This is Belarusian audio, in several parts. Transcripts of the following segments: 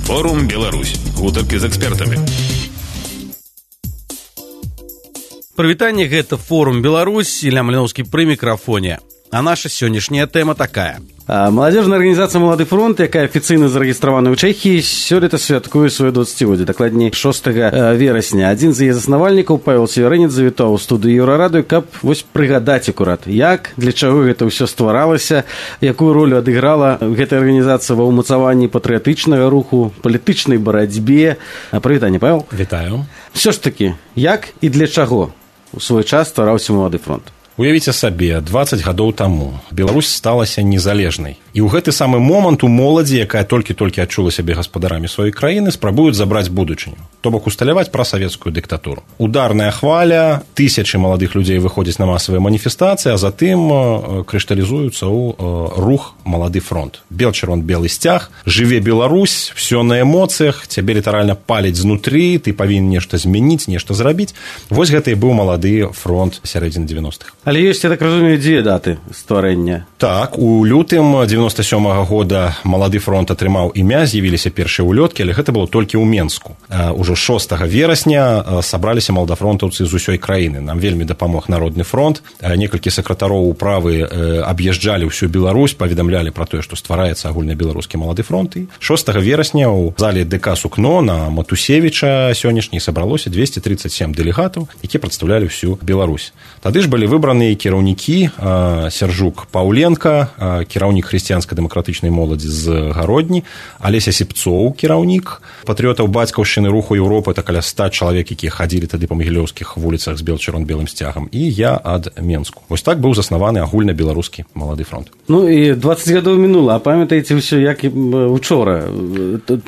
Форум Беларусь. Гутаркі з экспертамі. Прывітанне, гэта Форум Беларусь, Ілля Маліноўскі пры мікрафоне. А наша сённяшняя тэма такая. Маладзёжная арганізацыя «Малады фронт», якая афіцыйна зарэгістравана ў Чэхіі, сёлета святкуе сваё 20-годдзе, дакладней 6 верасня. Адзін з яе заснавальнікаў, Павел Северынец, завітаў у студыю Еўрарадыё, каб вось прыгадаць акурат, як, для чаго гэта ўсё стваралася, якую ролю адыграла гэтая арганізацыя ва ўмацаванні патрыятычнага руху, палітычнай барацьбе. Прывітанне, Павел. Вітаю. Всё ж такі, як і для чаго у свой час ствараўся «Малады фронт»? Уявіце сабе, 20 гадоў таму Беларусь сталася незалежнай. І ў гэты самы момант у моладзі, якая толькі-толькі адчула сябе гаспадарамі сваёй краіны, спрабуюць забраць будучыню. То бок усталяваць прасавецкую дыктатуру. Ударная хваля, тысячы маладых людзей выходзяць на масавыя маніфестацыі, а затым крышталізуюцца ў рух «Малады фронт». Бел-чырвон-белы сцяг, жыве Беларусь, всё на эмоцыях, цябе літаральна паліць знутры, ты павінен нешта змяніць, нешта зрабіць. Вось гэта і быў «Малады фронт» сярэдзіны 90-х. Але ёсць, я так разумею, дзве даты стварэння. Так, у лютым 97-го года «Малады фронт» атрымаў імя, з'явіліся першыя ўлёткі, але гэта было толькі ў Менску. Ужо 6 верасня сабраліся маладафронтаўцы з усёй краіны. Нам вельмі дапамог Народны фронт. Некалькі сакратароў управы аб'язджалі ўсю Беларусь, паведамлялі пра тое, што ствараецца агульнабеларускі «Малады фронт». І 6 верасня ў зале ДК «Сукно» на Матусевіча сённяшняй сабралося 237 дэлегатаў, якія прадстаўлялі ўсю Беларусь. Тады ж былі выбраны кіраўнікі: Сяржук Паўленка, кіраўнік хрысціянска-дэмакратычнай моладзі з Гародні, Алеся Сіпцоў, кіраўнік патрыётаў бацькаўшчыны руху Еўропы, это каля 100 чалавек, якія хадзілі тады па магілёўскіх вуліцах з бел-чырвон-белым сцягам, і я ад Менску. Вось так быў заснаваны агульнабеларускі «Малады фронт». Ну і 20 гадоў мінула, а памятаеце ўсё, як учора?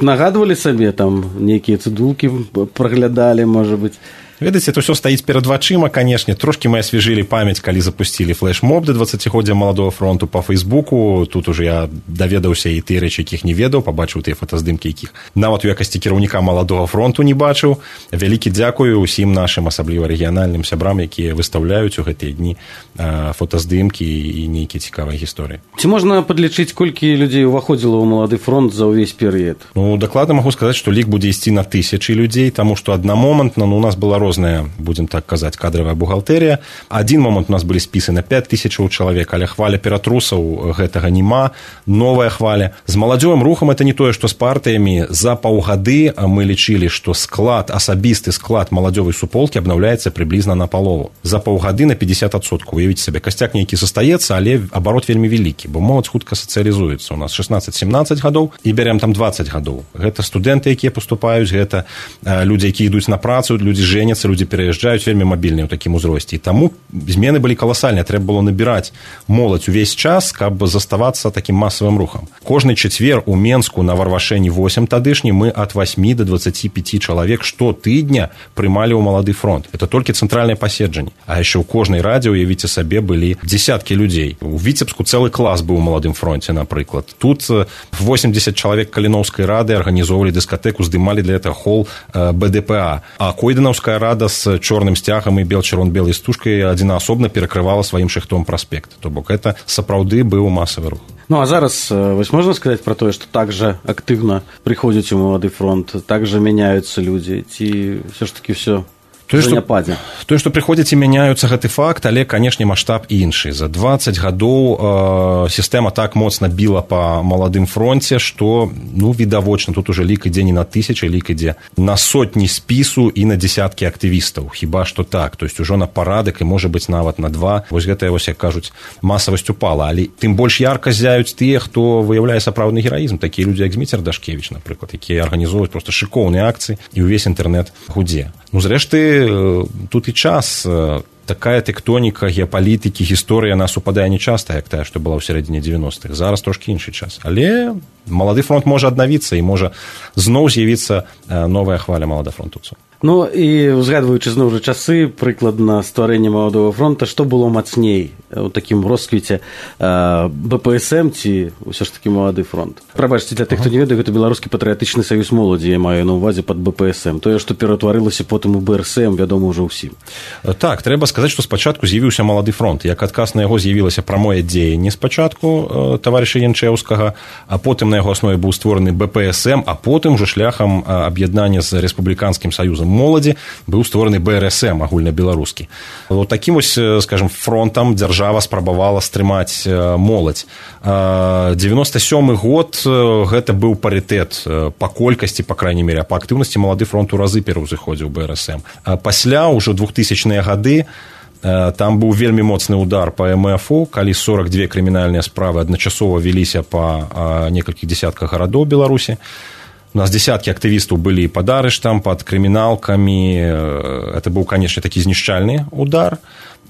Нагадвалі сабе, там нейкія цыдулкі праглядалі, можа быць? Ведаеце, это ўсё стаіць перад вачыма, канешне. Трошкі мы асвежылі памяць, калі запусцілі флэш-моб да 20-годдзя «Маладога фронту» па Фэйсбуку. Тут уже я даведаўся і тыя рэчы, якіх не ведаў, пабачыў тыя фотаздымкі, якіх нават у якасці кіраўніка «Маладога фронту» не бачыў. Вялікі дзякую ўсім нашым, асабліва рэгіянальным сябрам, якія выстаўляюць у гэтыя дні фотаздымкі і нейкія цікавыя гісторыі. Ці можна падлічыць, колькі людзей уваходзіла ў «Малады фронт» за ўвесь перыяд? Ну, дакладна магу сказаць, што лік будзе ісці на тысячы людзей, таму што аднамомантна у нас была розная, будем так казаць, кадравая бухгалтэрія. Адзін момант у нас былі спісы на 5000 чалавек, але хваля ператрусаў гэтага няма. Новая хваля. З маладзёвым рухам это не тое, што з партыямі. За паўгады мы лічылі, што склад, асабісты склад маладзёвай суполкі абнаўляецца прыблізна на палову. За паўгады на 50%. Уявіце сабе, касцяк нейкі застаецца, але абарот вельмі вялікі, бо моладзь хутка сацыялізуецца. У нас 16-17 гадоў і бярем там 20 гадоў. Гэта студэнты, якія паступаюць, гэта людзі, якія ідуць на працу, людзі жэняцца, людзі пераязджаюць вельмі мабільныя ў такім узросце. І таму змены былі каласальныя. Трэба было набіраць моладзь увесь час, каб заставацца такім масавым рухам. Кожны чацвер у Менску на Варвашэні 8 тадышні мы ад 8 до 25 чалавек штотыдня прымалі ў «Малады фронт». Это толькі цэнтральнае паседжанне. А яшчэ ў кожнай радзе, уявіце сабе, былі дзесяткі людзей. У Віцебску цэлы клас быў у «Маладым фронце», напрыклад. Тут 80 чалавек Каліноўскай рады арганізоўвалі дыскатэку, здымалі для этого хол БДПА. А Койданаўская рада з чорным сцягам і бел-чырвон-белай стужкай адзінаасобна перакрывала сваім шыхтом праспект. То бок это сапраўды быў масавы рух. Ну а зараз вось можна сказаць пра тое, што так жа актыўна прыходзяць у «Малады фронт», так жа мяняюцца людзі, ці ўсё ж такі ўсё Тое, што прыходзяць і мяняюцца, гэты факт, але, канешне, маштаб іншы. За 20 гадоў сістэма так моцна біла па «Маладым фронце», што, відавочна, тут уже лік ідзе не на тысячы, лік ідзе на сотні спісу і на дзесяткі актывістаў. Хіба што так, то есть ужо на парадак і, можа быць, нават на 2. Вось гэта, як кажуць, масавасць упала. Але тым больш ярка з'яюць тыя, хто выяўляе сапраўдны гераізм. Такія людзі, як Зміцер Дашкевіч, напрыклад, якія арганізоўваюць проста шыкоўныя акцыі і ўвесь інтэрнэт гудзе. Зрэшты, тут і час, такая тэктоніка геапалітыкі, гісторыя, яна супадае не часта, як тая, што была ў сярэдзіне 90-х. Зараз трошкі іншы час. Але «Малады фронт» можа аднавіцца і можа зноў з'явіцца новая хваля маладафронтаўцаў. Ну, і узгадваючи знову ж часи, прикладна створення Молодого фронту, що було мацней у такім розквіті БПСМ ці все ж таки Молодий фронт? Прабачте, для тих, хто не ведає, це Беларускі патріотичний союз моладзі, я маю на увазі під БПСМ. Тое, що ператварилося потім у БРСМ, вядома ўжо ўсім. Так, трэба сказаць, што спачатку з'явіўся Малады фронт. Як адказ на яго з'явілася прамое дзеянне спачатку таварыша Янчэўскага, а потым на яго аснове быў створаны БПСМ, а потым ужо шляхам аб'яднання з Рэспубліканскім саюзам моладзі быў створаны БРСМ агульнабеларускі. Вот такім вось, скажем, фронтам дзяржава спрабавала стрымаць моладзь. 97 год гэта быў парытэт па колькасці, па крайней мере, па актыўнасці Малады фронт у разы пераўзыходзіў БРСМ. Пасля ўжо 2000-е гады там быў вельмі моцны удар па МФУ, калі 42 крымінальныя справы адначасова веліся па некалькіх дзесятках гарадоў Беларусі. У нас десяткі актывістаў былі пад арыштам, пад крыміналкамі. Это быў, канечне, такі знішчальны удар.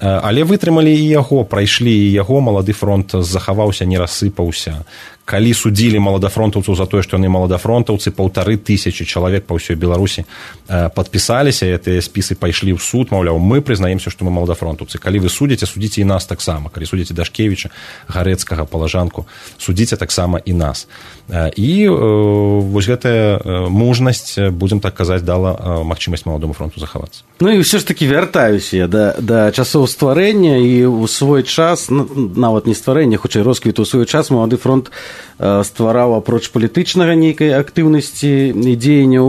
Але вытрымалі і яго, прайшлі і яго, Малады фронт захаваўся, не рассыпаўся. Калі судзілі маладафронтаўцаў за тое, што яны маладафронтаўцы, 1500 чалавек па ўсёй Беларусі падпісаліся, і гэтыя спісы пайшлі ў суд, маўляў, мы прызнаемся, што мы маладафронтаўцы. Калі вы судзіце, судзіце і нас таксама. Калі судзіце Дашкевіча, Гарэцкага, Палажанку, судзіце таксама і нас. І вось гэтая мужнасць, будзем так казаць, дала магчымасць Маладому фронту захавацца. Ну і ўсё ж такі вяртаюся я да часоў стварэння, і ў свой час, нават не стварэння, хутчэй росквіту, ў свой час Малады фронт ствараў апроч палітычнага нейкай актыўнасці і дзеянняў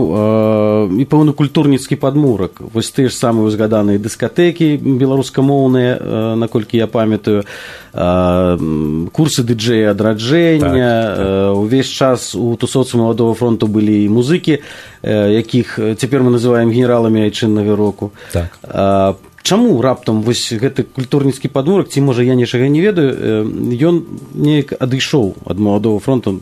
і пэўны культурніцкі падмурак. Вось тыя ж самыя узгаданыя дыскатэкі беларускамоўныя, наколькі я памятаю, курсы дыджэя адраджэння. Увесь час у тусоўцы Маладого фронту былі і музыкі, якіх цяпер мы называем генераламі айчыннага року. Так. Чаму раптам вось гэты культурніцкі падмурак, ці, можа, я нічога не ведаю, ён неяк адышоў ад Маладого фронту,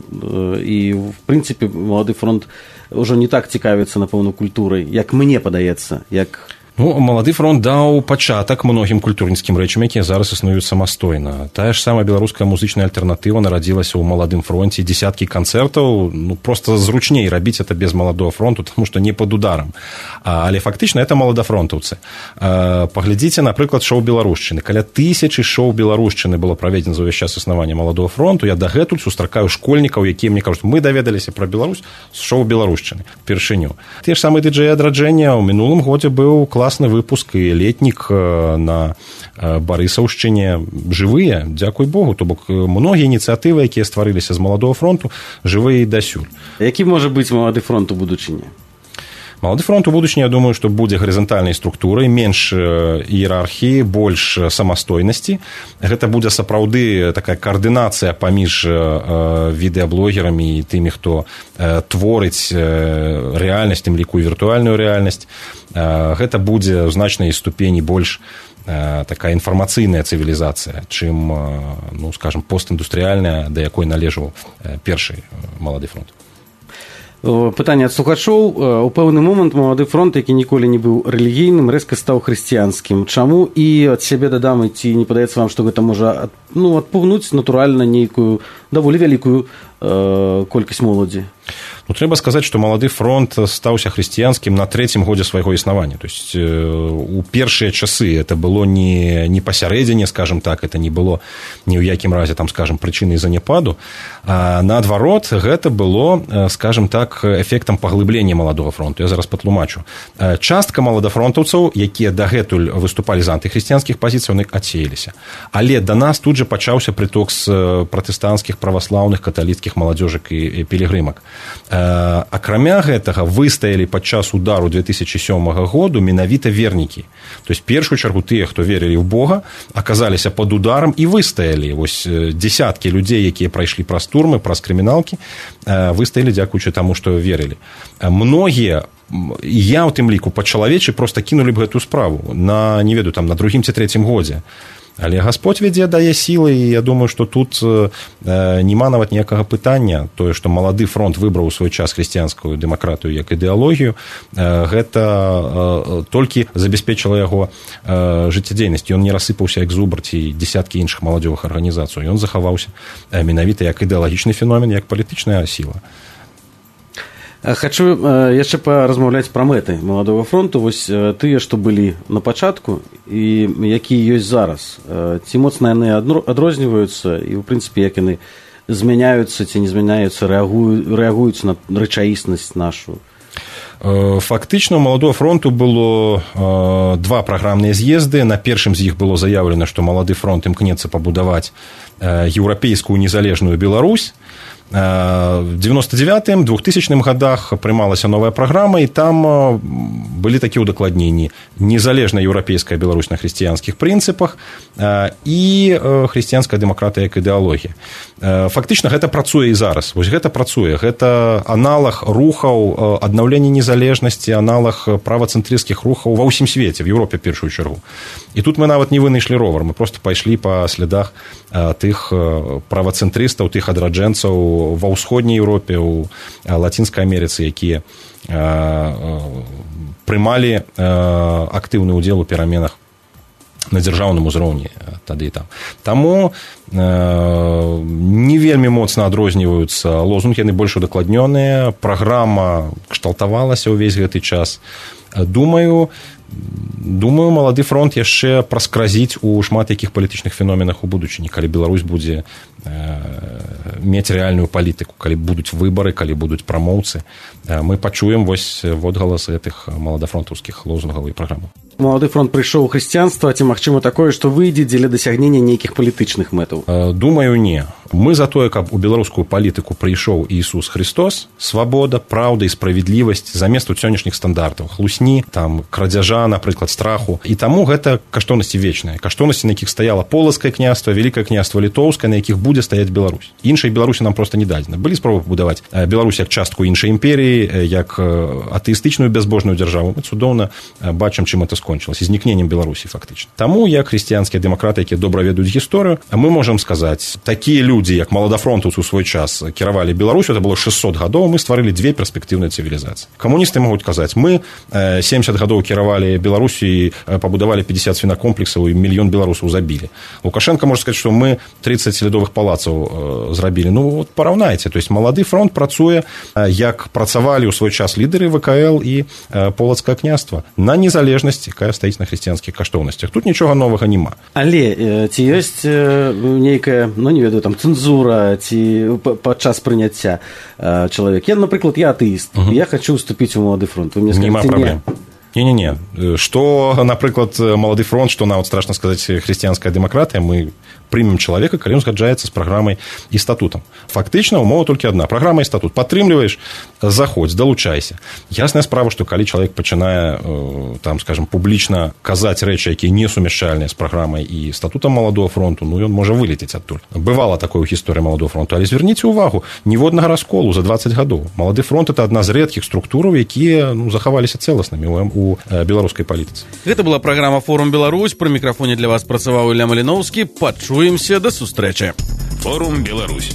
і, в прынцыпе, Малады фронт ўжо не так цікавіцца, напэўна, культурай, як мне падаецца, як... Ну, Малады фронт даў пачатак многім культурніцкім рэчам, якія зараз існуюць самастойна. Тая ж самая беларуская музычная альтэрнатыва нарадзілася ў Маладым фронце, дзесяткі канцэртаў, ну, просто зручней рабіць это без Маладого фронту, тому што не пад ударам. Але фактычна это маладафронтаўцы. Паглядзіце, напрыклад, шоу беларушчыны. Каля 1000 шоу беларушчыны было праведзена за ўвесь час існавання Маладого фронту. Я дагэтуль сустракаю школьнікаў, якія мне кажуць, мы даведаліся пра Беларусь з шоу беларушчыны першыню. Тыя ж самыя дыджэі адраджэння ў мінулым годзе быў класны выпуск і летнік на Барысаўшчыне. Жывыя, дзякуй Богу, то бок многія ініцыятывы, якія стварыліся з Маладого фронту, жывыя і дасюль. Які можа быць Малады фронт у будучыні? Малады фронт у будучыні, я думаю, што будзе гарызантальнай структурай, менш іерархіі, больш самастойнасці. Гэта будзе сапраўды такая каардынацыя паміж відэаблогерамі і тымі, хто творыць рэальнасць, тым ліку і віртуальную рэальнасць. Гэта будзе ў значнай ступені больш такая інфармацыйная цывілізацыя, чым, ну, скажам, постіндустрыяльная, да якой належаў першы Малады фронт. Пытанне ад слухачоў. У пэўны момант Малады фронт, які ніколі не быў рэлігійным, рэзка стаў хрысціянскім. Чаму? І ад сябе дадам, ці не падаецца вам, што гэта можа адпугнуць натуральна нейкую даволі вялікую колькасць моладзі? Ну, трэба сказаць, што Малады фронт стаўся хрысціянскім на 3-м годзе свайго існавання. То есть у першыя часы это было не пасярэдзіне, скажем так, это не было ні ў якім разе, там, скажем, прычынай заняпаду, а наадварот, гэта было, скажем так, эфектам паглыблення Маладога фронту. Я зараз патлумачу. Частка маладафронтаўцаў, якія дагэтуль выступалі з антыхрысціянскіх пазіцый, яны адсеяліся. Але да нас тут жа пачаўся прыток з пратэстанцкіх, праваслаўных, каталіцкіх маладзёжак і пілігрымак. Акрамя гэтага выстаялі падчас удару 2007 году менавіта вернікі. То есть, першую чаргу тыя, хто верылі ў Бога, аказаліся пад ударам і выстаялі. Вось дзесяткі людзей, якія прайшлі праз турмы, праз крыміналкі, выстаялі дзякуючы таму, што верылі. Многія, я ў тым ліку па-чалавечы проста кінулі б гэтую справу на, не ведаю, там, на 2-м ці 3-м годзе. Але Гасподь вядзе, дае сілы, і я думаю, што тут няма нават ніякага пытання. Тое, што Малады фронт выбраў у свой час хрысціянскую дэмакратыю як ідэалогію, гэта толькі забяспечыла яго жыццядзейнасць. Ён не рассыпаўся як зубр ці дзесяткі іншых маладзёвых арганізацый. Ён захаваўся менавіта як ідэалагічны феномен, як палітычная сіла. Хачу яшчэ паразмаўляць пра мэты маладога фронту. Вось тыя, што былі на пачатку і якія ёсць зараз. Ці моцна яны адрозніваюцца і, ў прынцыпе, як яны змяняюцца ці не змяняюцца, рэагуюць на рэчаіснасць нашу? Фактычна у маладога фронту было два праграмныя з'езды. На першым з іх было заяўлена, што малады фронт імкнецца пабудаваць еўрапейскую незалежную Беларусь. В 99-м, 2000-м годах прымалася новая праграма, і там былі такія ўдакладненні: незалежная еўрапейская Беларусь на хрысціянскіх прынцыпах і хрысціянская дэмакратыя як ідэалогія. Фактычна гэта працуе і зараз. Вось гэта працуе. Гэта аналаг рухаў аднаўлення незалежнасці, аналаг правацэнтрысцкіх рухаў ва ўсім свеце, в Еўропе в першую чаргу. І тут мы нават не вынайшлі ровар, мы просто пайшлі па слядах тых правацэнтрыстаў, тых адраджэнцаў ва ўсходняй Еўропе, у Лацінскай Амерыцы, якія прымалі актыўны ўдзел у пераменах на дзяржаўным узроўні тады і там. Таму не вельмі моцна адрозніваюцца лозунгі, яны больш удакладнёныя, праграма кшталтавалася ўвесь гэты час. Думаю, малады фронт яшчэ праскразіць у шмат якіх палітычных феноменах у будучыні, калі Беларусь будзе мець рэальную палітыку, калі будуць выбары, калі будуць прамоўцы. Мы пачуем вось водгалас гэтых маладафронтаўскіх лозунгаў і праграмаў. Малады фронт прыйшоў у хрысціянства, ці магчыма такое, што выйдзе дзеля дасягнення нейкіх палітычных мэтаў? Думаю, не. Мы за тое, каб у беларускую палітыку прыйшоў Ісус Христос, свабода, праўда і справядлівасць замест сённяшніх стандартаў, хлусні, там, крадзяжа, напрыклад, страху. І таму гэта каштоўнасці вечныя. Каштоўнасці, на якіх стаяла полацкае княства, вялікае княства літоўскае, на якіх будзе стаяць Беларусь. Іншай Беларусі нам проста не дадзена. Былі спробы будаваць Беларусь як частку іншай імперіі, як атэістычную бязбожную дзяржаву. Мы цудоўна бачым, чым это скончылася, знікненнем Беларусі фактычна. Таму, як хрысціянскія дэмакраты, якія добра ведаюць гісторыю, мы можам сказаць, такія людзі, як маладафронтаўцы ў свой час кіравалі Беларусю, это было 600 гадоў, мы стварылі две перспектыўныя цывілізацыі. Камуністы могуць казаць, мы 70 гадоў кіравалі Беларусю і пабудавалі 50 свінакомплексаў і мільён беларусаў забілі. Лукашенко можа сказаць, што мы 30 лядовых палацаў зрабілі. Ну, вот параўнайце. То есть малады фронт працуе, як працавалі ў свой час лідары ВКЛ і полацкае княства на незалежнасць, якая стаіць на хрысціянскіх каштоўнасцях. Тут нічога новага няма. Але ці ёсць нейкая, ну не ведаю, там цэнзура ці падчас прыняцця чалавек? Я, напрыклад, я атэіст. Я хочу уступіць у малады фронт. Вы мне скажаце, нема праблем. Не. Што, напрыклад, малады фронт, што нават страшна сказаць хрысціянская дэмакратыя, мы прымем чалавека, калі ён згаджаецца з праграмай і статутам. Фактычна умова толькі адна: праграма і статут. Падтрымліваеш, заходзь, далучайся. Ясная справа, што калі чалавек пачынае, там, скажем, публічна казаць рэчы, якія не сумяшчальныя з праграмай і статутам маладога фронту, ну ён можа вылецець адтуль. Бывала такое ў гісторыі маладога фронту, але звярніце ўвагу, ніводнага расколу за 20 гадоў. Малады фронт это адна з рэдкіх структураў, якія захаваліся цэласнымі у беларускай палітыцы. Гэта была праграма «Форум Беларусь». Пры мікрафоне для вас працаваў Ілля Маліноўскі. Пачуемся, да сустрэчы. Форум Беларусь.